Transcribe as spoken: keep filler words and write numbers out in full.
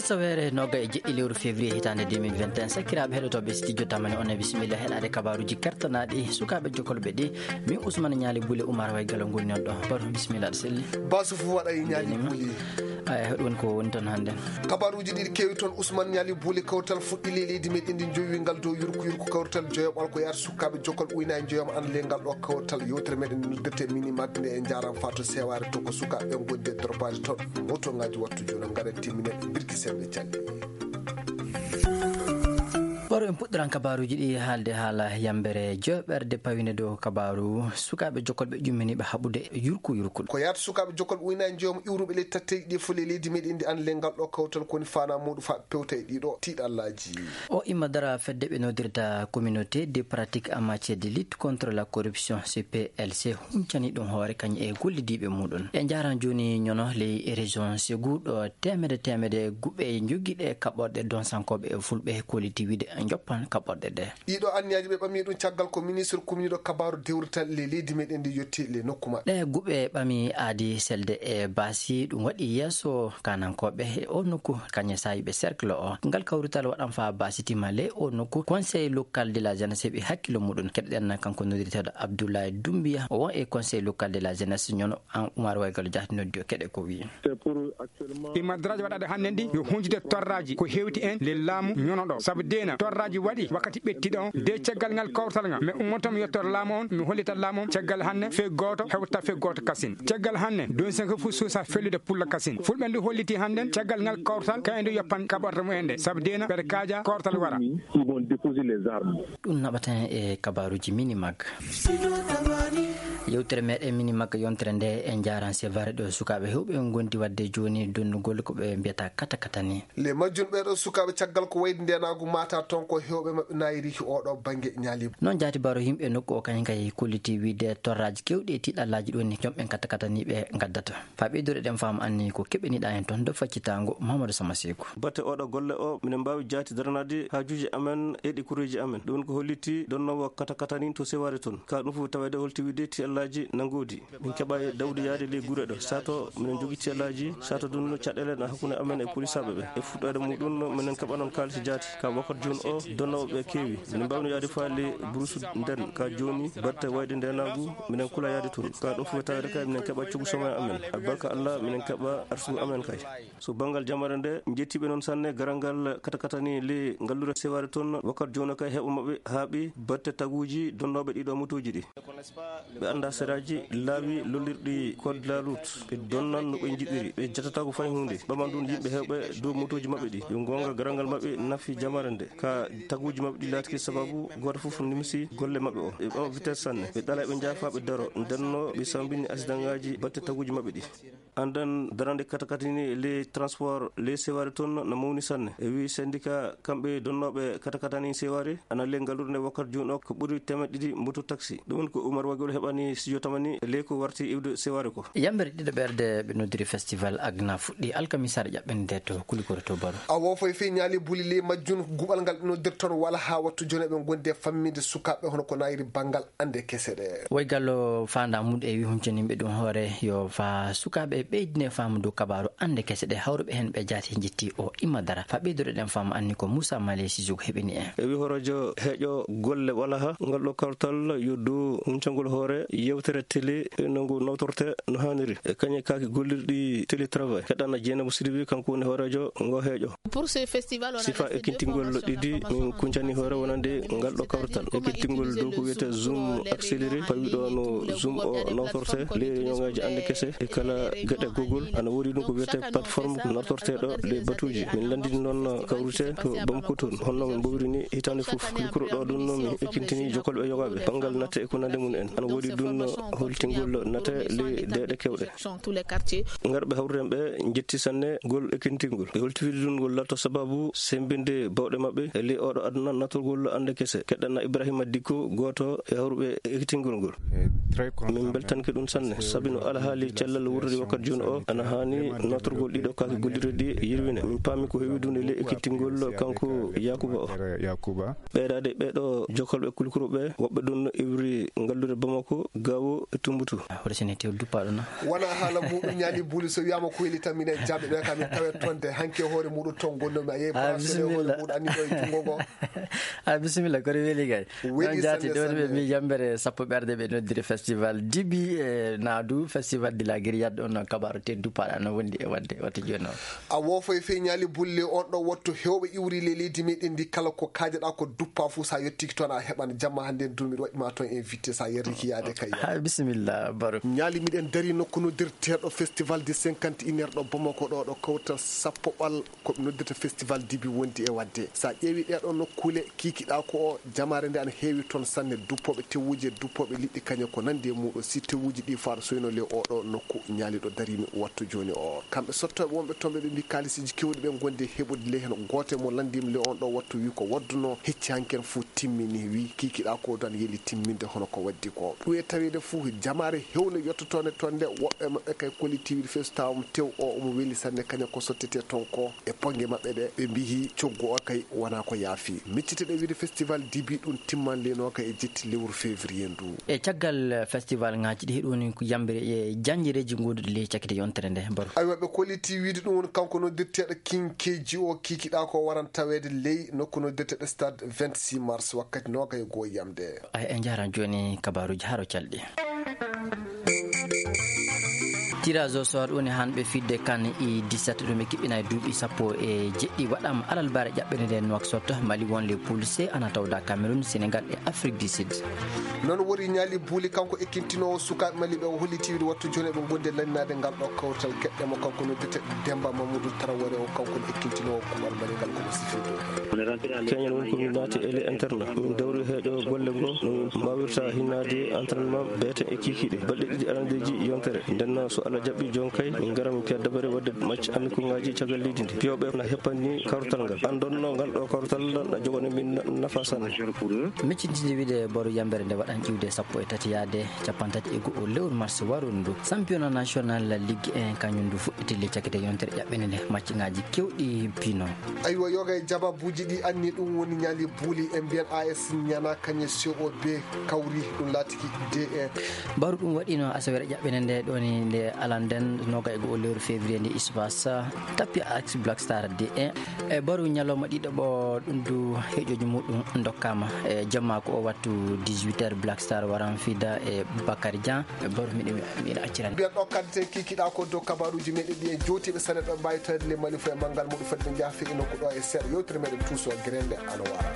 Asaweere noga e jeɗɗi lewru février hitaande deux mille vingt et un, sakkiraaɓe heɗotooɓe studio tamani, on e bisimilla heɗaade kabaaruuji kertanaaɗi sukaaɓe jokolɓe ɗi. Min Ousmane Ñaali Bule, Umar Way Galo ngoni on ɗo. Baro, bisimilla, aɗa selli? Basu fu waɗa e Ñaali Buli. Ay, hoɗum woni ko woni toon hannde? Kabaaruuji ɗiɗi keewi toon, Ousmane Ñaali Buli. Kawtal fuɗɗi ley leydi meɗen ndi, jowi ngal dow yurku yurku. Kawtal joyoɓal ko yaata sukaaɓe jokkal uyna e joyam an ley ngal ɗo kawtal. Yewtere meɗen nde noddirte Mini Mag nde, e njaram fato sewaare to ko sukaaɓe ɓe ngondi e dorpaade toon. Moto ngaji wattu jono ngara timminen birki sembe calli. Baro, en puɗɗiran kabaaruuji ɗi haalde haala yambere joɓerde pawinde dow kabaaru sukaaɓe jokkolɓe ƴumminiiɓe haɓude yurku yurkul. Ko yaata sukaaɓe jokkolɓe uyna e joyam iwruɓe ley tatteeji ɗi fof ley leydi meɗen ndi an ley ngal ɗo kawtal ko woni fana muɗum fa pewta e ɗiɗo tiiɗallaaji. O imma dara fedde ɓe nodirta Communauté de pratique en matière de lutte contre la corruption, C P L C, huncani ɗum hoore kañum e gollidiiɓe muɗum. E njaran jooni ñono ley région Ségou ɗo teemede teemede guɓe jogiiɗe kaɓorɗe donsankooɓe e fulɓe kolliti wiide joppan kaɓorɗe ɗe. Ɗiɗo anniyaji ɓe ɓami ɗum caggal ko ministre kumniɗo kabaaru dewrital ley leydi meɗen ndi yotti ley nokku maɓɓe. Ɗe guɓe ɓami aadi selde e baasi ɗum waɗi yeeso kanankooɓe e o nokku kañe saayiɓe cercle o. Ngal kawrital waɗan faa baasi tima ley o nokku. Conseil local de la jeunesse heɓi hakkillo muɗum. Keɗɗen kanko noddirteeɗo Abdoulaye Doumbia, o won e conseil local de la jeunesse ñono an Oumar Waygalo Diaté noddi o keɗe ko wi'i. Imadraji waɗaɗe hannden ɗi yo hunjude torraji ko hewti en le laamu ñono ɗo. Sabu deena torraji waɗi wakkati ɓettiɗo on de caggal ngal kawtal ngal. Mi ummoto mi yettor laamu on, mi hollitat laamu on caggal hannde fe gooto hewta fe gooto kasin. Caggal hannde don sen ko fu suusa fellude pulla kasin. Fulɓe ndu holliti hannden caggal ngal kawtal ka en ndu yoppan kaɓorɗe mumen nde. Sabu deena ɓeɗe kaaja kawtal wara. Ils vont déposer les armes. Ɗum naɓata en e kabaaruuji Mini Mag. Yewtere meɗen Mini Mag yontere nde en njaaran sevare ɗo sukaaɓe hewɓe ngondi wadde jooni donnugol ko ɓe mbiyata kata kata ni. Le majjun ɓeɗo sukaaɓe caggal ko wayde ndenaagu mata toon ko hewɓe maɓɓe nayiri oɗo bannge ñaali. Noon jaati baro yimɓe nokku o kañum kay kolliti wiide torraji kewɗi e tiɗallaaji ɗo ni jomɓen kata kataniɓe ngaddata. Faa ɓeydude ɗen faamu anni ko keɓeniɗaa en toon do faccitango Mamadou Sama Seeku. Batte oɗo golle o, minen mbaawi jaati daranaade haajuuji amen e ɗi kureeji amen. Ɗum ko holliti donnoowo kata katani to sewaare toon. Ka ɗum fof taweede holti wiide tiyallaaji na ngoodi. Min keɓa e dawde yaade ley gure ɗo. Sato minen jogii tiyallaaji, sato ɗum no caɗeele na hakkunde amen e polisaaɓe ɓe. E fuɗɗoyde muɗum minen keɓa noon kaalis jaati. Ka wakkati jooni o, donnooɓe ɓe keewi. Minen mbaawi no yaade faa ley burusu nden. Ka jooni batte wayde ndenaagu, minen kula yaade toon. Ka ɗum fof taweede kay minen keɓa coggu somo amen. Albarka Allah, minen keɓa arsugu amen kay. So banngal jamare nde, njettiiɓe noon sanne garal ngal kata katani le ngallure sewaare toon, wakkati jooni kay heɓo maɓɓe haaɓi batte taguuji donnooɓe ɗiɗo motooji ɗi. Ɓe anndaa seraaji laawi lollirɗi code de la route, ɓe donnan no ɓe njiɗiri, ɓe jatataako fay huunde. Ɓaman ɗum yimɓe heewɓe dow motooji maɓɓe ɗi. Yo goonga garal ngal maɓɓe nafi jamare nde, ka taguuji maɓɓe ɗi laatike sababu gooto fof nimsi golle maɓɓe o. Ɓe ɓama vitesse sanne, ɓe ɗala ɓe njaafa ɓe daro, ndenno ɓe sambini accidentngaaji batte taguuji maɓɓe ɗi. Andan darande katakatani les transport les sewari toon no mawni sanne. E wi syndicat kamɓe donnooɓe katakatani sewari ana le ngallude nde wakkati jooni o ko ɓuri teemeɗɗe ɗiɗi moto taxi. Ɗum woni ko Umar Wagol heɓani studio tamani le ko warti iwde sewari ko. Yambere ɗiɗo ɓerde ɓe noddiri festival Agna fuɗɗi alkamisaare ƴaɓɓende to Kulikoro to Baro. A wofo e fii ñaali buli le majjun guɓal ngal ɓe noddirton wala haa wattu jooni ɓe gondi e famminde sukaaɓe hono ko nayiri banngal ande kese ɗe. Woy Gallo faanda mum e wi huncaniɓe ɗum hoore yo fa sukaaɓe ɓeydine faamu dow kabaaru ande kese ɗe hawruɓe heen ɓe jaati jetti o imma dara. Fa ɓeydude ɗen faamu anni ko Moussa Malé Sissoko heɓini en. E wi horojo heeƴo golle wala ha ngal ɗo kawtal yo dow huncangol hoore yewtere télé no ngu nawtorte no haniri. E kañe kaaki gollirɗi télétravail. Heɗana Jeynaba Sidibé kanko woni hoorejo ngo heeƴo. Pour ce festival, on a sifa décidé de ekkintingol faire ɗiɗi en min kuncani hoore wonande ngal ɗo kawrital. Ekkintingol dow ko wiyete Zoom accéléré, pawi ɗo no Zoom o nawtorte, ley réunion ngaji ande kese, e kala geɗe Google, ana woodi ɗum ko wiyete plateforme ko nawtorte ɗo ley batuji. Min landini noon kawrite to Bamako toon, honno min mbowiri ni hitaande fof. Kulkuro ɗo ɗum no min ekkintini jokolɓe yogaɓe, banngal natte e ko nande mum en. Ana woodi ɗum no holtingol natte ley deeɗe kewɗe. Dans tous les quartiers. Ngarɓe hawrude en ɓe njetti sanne ngol ekkintingol. Ɓe holti wiide ɗum ngol latto sababu sembinde bawɗe maɓɓe e Ley oɗo aduna, natorgol annde kese. Keɗɗana Ibrahima Dikko, gooto e hawruɓe ekkitingol ngol. Min mbeltanke ɗum sanne, sabi no alhaali cellal wurdiri wakkati jooni o, ana haani natorgol ɗiɗo kaake gollirɗe ɗi yirwine. Min paami ko heewi ɗum e ley ekkitingol kanko Yakuba o. Ɓeydaade ɓeeɗo jokkolɓe kulkuru ɓe, woɓɓe ɗum no iwri ngallude Bamako, Gaawo e Tumbutu. Hoto sene tew duppaaɗo na. Wona haala muɗum ñaali buli, so wiyama ko weli tan minen jaɓɓe ɓe kam min tawe tonde hanke hoore muɗum ton gonnomi a yehi. Ah, bisimilla. Hoore muɗum anni ɗo e jungo ngo. Ah, bisimilla, kono weli kay. Weli. Noon jaati sanne, ɗo ɓe sanne. Mbi yambere sappo ɓerde ɓe noddiri festival Dibi e Naadu, festival de la Grillade, on kabaaru te duppaaɗa no wondi e wadde wata jooni o. A woofay fey ñaali bulle on ɗo wotto hewɓe iwri le leydi meɗen ndi kala ko kaajaɗa ko duppa fu sa yettiki toon a heɓan jamma hannde en duumi ɗo waɗima toon invité sa yerriki yaade kay. Ha, bisimilla, Baro. Ñaali miɗen dari nokku noddirteeɗo festival de cinquante et une heure ɗo Bamako ɗo, ɗo kawtal sappo ɓal ko ɓe noddirta festival Dibi wondi e wadde. Sa ƴeewi ɗeɗo nokkule kikiɗa ko o jamaare nde ana heewi toon sanne, duppooɓe tewuji e duppooɓe liɗɗi kañe ko nandi e muɗo. Si tewuji ɗi faaɗo soyno le oɗo nokku ñaali ɗo darimi wattu jooni o. Kamɓe sottoɓe wonɓe toon ɓe, ɓe mbi kaalisiji kewɗi ɓe gondi e heɓude ley heen. Gooto e mo lanndimi le on ɗo wattu wi ko wadduno hecci hanki en fof timmini, wi kikiɗa ko dan yeli timminde hono ko waddi ko. Ɗum e taweede fof jamaare hewle yottotoonde toon nde, woɓɓe maɓɓe kay kollitiiɓe feesu tawa mo tew o omo weli sanne kañum ko sottete toon ko e ponnge maɓɓe ɗe. Ɓe mbiyi coggu o kay wona ko yaafi. Miccite ɗe wiide festival Dibi ɗum timman leyno kay e jetti lewru février ndu. E caggal festival ŋaaji ɗi heɗoni ko yambere e janjireeji ngoduɗi ley cakkite yontere nde, Baro. Aywa, ɓe kolliti wiide ɗum woni kanko noddirteeɗo King K G O kikiɗa ko waran taweede ley nokku noddirteeɗo stade vingt-six mars wakkati noogay e goo yamde. Ay, en njaran jooni kabaaruuji haro calɗi. Tirage au sort woni hanɓe fidde kan i dix-sept ɗum ɓe kiɓɓina e duuɓi sappo e jeɗɗi waɗama alalbare ƴaɓɓere nde Nouakchott, Mali won les poules C ana tawda Cameroun, Sénégal e Afrique du Sud. Noon wori ñaali buuli kanko ekkintinoowo sukaaɓe Mali ɓe o holliti wiide wattu jooni eɓe gondi e lanninaade ngal ɗo kawtal keɗɗe mo kanko noddete Demba Mamadou Traoré o kanko ne ekkintinoowo kuɓal Mali ngal kono sifirde. Keñal woni ko min naati e le internat, min dawri heeƴo golle ngo no min mbawirta hinnaade entraînement beete e kikiɗe balɗe ɗiɗi arandeeji yontere. Ndenno so Allah jaɓɓi jooni kay min ngara min piya dabare wadde match amicaux ngaji caggal leydi ndi. Piyooɓe na heppani kartal ngal. An donno ngal ɗo kartal na jogani min na-, nafa sanne. Miccitinde wiide Baro yambere nde waɗan iwde sappo e tati yaade cappantati e go'o lewru mars waru ndu. Championnat national Ligue un kañum ndu fuɗɗiti le cakkite yontere ƴaɓɓene nde match ngaji kewɗi pino. Aywa, yoga e jababuuji ɗi anni ɗum woni ñaali buuli e mbiyan A S Ñana kañe C O B kawri ɗum laatiki D un. Baro ɗum waɗino asawere ƴaɓɓene nde ɗoni nde alanden noga e go'o lewru février nde Ispas tappi Axe Black Star D un. E Baro ñalawma ɗiɗo ɓo ɗum du heeƴoji muɗum dokkama e jamma ko o wattu dix-huit heures Black Star waran fida e Bakary Dian. E Baro miɗo, miɗo accirani. Mbiyan ɗo kadde kikiɗa ko dow kabaruji meɗen ɗi en jowtiɓe sane ɗo mbawi tawde le Mali fo e manngal muɗum fedde jaafe e nokku ɗo e seeɗa yewtere meɗen tuuso grende ano wara.